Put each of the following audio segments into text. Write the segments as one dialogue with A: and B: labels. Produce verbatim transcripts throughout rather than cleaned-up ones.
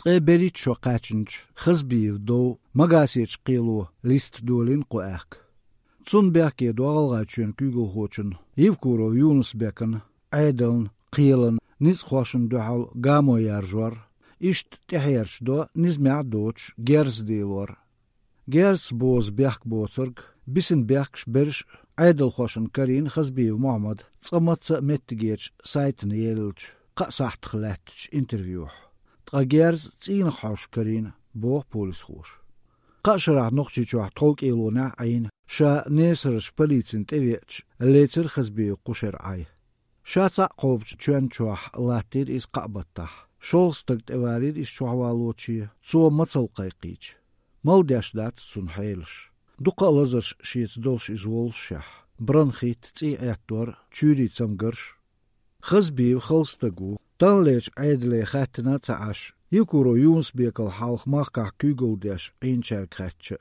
A: تقي بريت شو قاچنش خزبيف دو مغاسيچ قيلو ليست دولين قواك تون بيكي دو غلغاچن كيغل خوچن يفكورو يونس بيكن عيدلن قيلن نيز خوشن دوحل غامو يارجور إشت تحيرش دو نزمع دوتش جيرز ديلور جيرز بوز بيحك بوترق بسن بيحكش برش عيدل خوشن كارين خزبيف محمد تصمت متجيش سايتن يلج قصحت خلاتش انترفيوح تقا جيرز تين خوش كارين بوه بوليس خوش قاشرع نقشي جوح طوق إيلونا عين شا نيسرش بليتسن تبيتش الليتر خزبيف قشر عي شا تعقوبش جوان جوح لاتير إس قابطح شولستك تبارير إس جوحوالوشي تسو مصل قيقيج مالداش دات تسون حيلش دوقا لزرش شيت دولش إز والشح برنخيت تي اعتور تشوري تسمقرش خزبيف خلستقو تنليش عيدلي خاتنا تعاش يكورو يونس بيكال حالخ ماقع كيغل داش عين شارك خاتش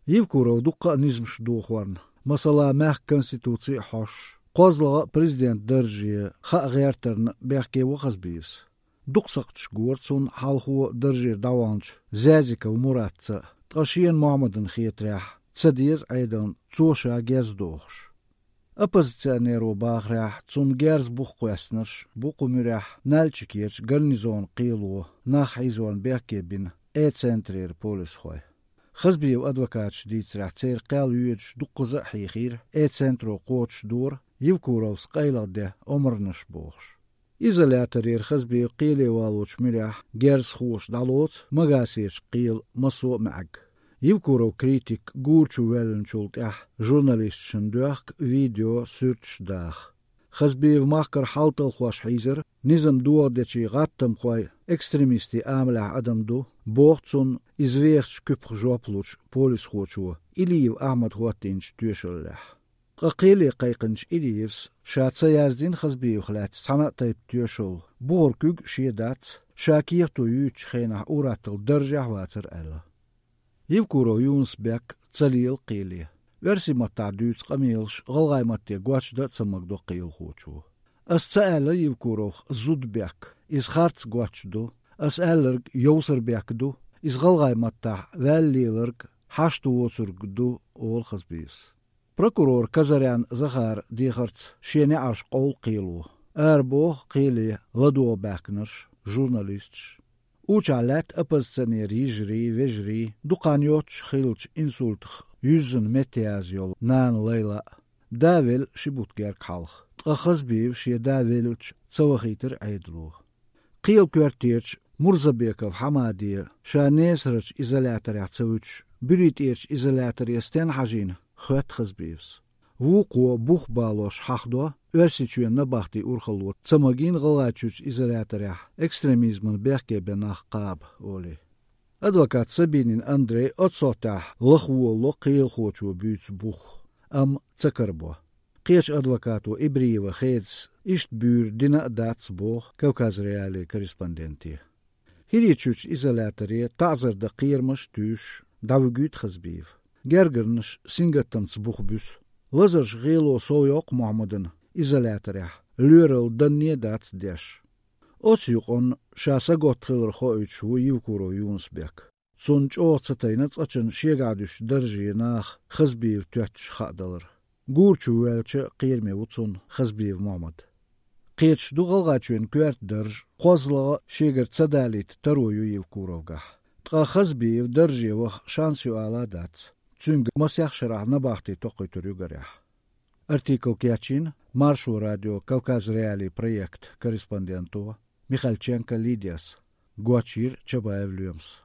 A: يكورو دوقا نزمش دوخوان مثلا ماق كونستيتوتسي حوش قوزلا بريزيدنت درجي خا غيرترن بيحكي وخزبيفس دوقسقتش قورتسون حالخو درجي داوانش زازيكا ومراتسا تقاشين محمدن خيتراح تصديز عيدن توشا جاز دوخش أبوزيционеру باغراح تون جارز بوخ قواسنرش بوخو مراح نالچكيرش غرنيزون قيلو ناخ عيزون بيحكي بين اي سنترير بوليس خوي خزبيو أدوكاتش ديتس راح تير قال يوجش دوقزا حيخير اي سنترو قوتش دور يفكورو سقيلا ده عمرنش بوخش إزالاترير خزبيو قيلي والوش مراح جارز خوش دالوت مغاسيش قيل مسو معك يفكورو كريتيك غورچو ويلنشولت اح جورناليست شندوخ فيديو سيرتش داخ خزبيف ماكر حالتل خوش حيزر نظام دو دچي غاتم خوي اكستريميستي عاملع ادم دو بوختون ازويرش كوب جوبلوش بوليس خوچو إليف احمد خواتينش تيوشلح قيلي قيقنش إليفس شاتسا يازدين خزبيف خلات سنة تيب تيوشل بوركوغ شيدات شاكيرتو يوچ خينح اوراتل درجة واتر الا يفكورو يونس بيك تسليل قيلي ورسي متع دوتس قميلش غلغاي متى قواتش دا تسمك دو قيل خوچو أسأل يفكورو زود بيك إز خارتس قواتش دو أسألرق يوسر بيك دو إز غلغاي متع والليلرق حاشتو ووسرق دو أول خزبيس بروكورور كزريان زخار ديخرت شيني عرش قول قيلو أربوه قيلي لدو باكنرش جورناليستش Uçalat apazsaneri jri vejri duqanyotch khilch insultch yüzün metiyaz yol nan leyla davel shibutgerk halx tqakhazbiv shi davelch tsawkhiter aydlu qiyl kwartierch Murzabekov Hamadi shanesrch izolator yatsawch büritierch izolator yasten hajin khot khazbivs wuqo buх balosh haqdo Örsiçüyen nabahti urxalot tsamagin galachuch izolatorya ekstremizmin berke benach qab oli. Advokat Sabinin Andrei otsotah lakhwo loqil khochu büts buch am tsakarbo. Qech advokatu Ibrieva khets isht bür dina dats boh Kavkaz reali korrespondenti. Hirichuch izolatorya ta'zir da qirmash tush davgut khazbiv. Gergernish singatam tsbuch bus. Lazar ghilo soyoq Muhammadin izolatorya lürel dannie dats desh osyuqon shasa gotkhir khoychu yivkuro Yunsbek sunch otsatayna tsachin shegadush darjinach khazbiv twatsh khadalar gurchu welche qirme utsun khazbiv Muhammad qetsh dugalgachun kwert darj qozla sheger tsadalit taroyu yivkurovga tqa khazbiv darji wa shansu ala dats tsung masyakh shrah nabahti toqituru garah Артикл Кячин, Маршу радио Кавказ Реалий проект корреспонденту Михальченко Лидиас, Гуачир Чабаев Люмс.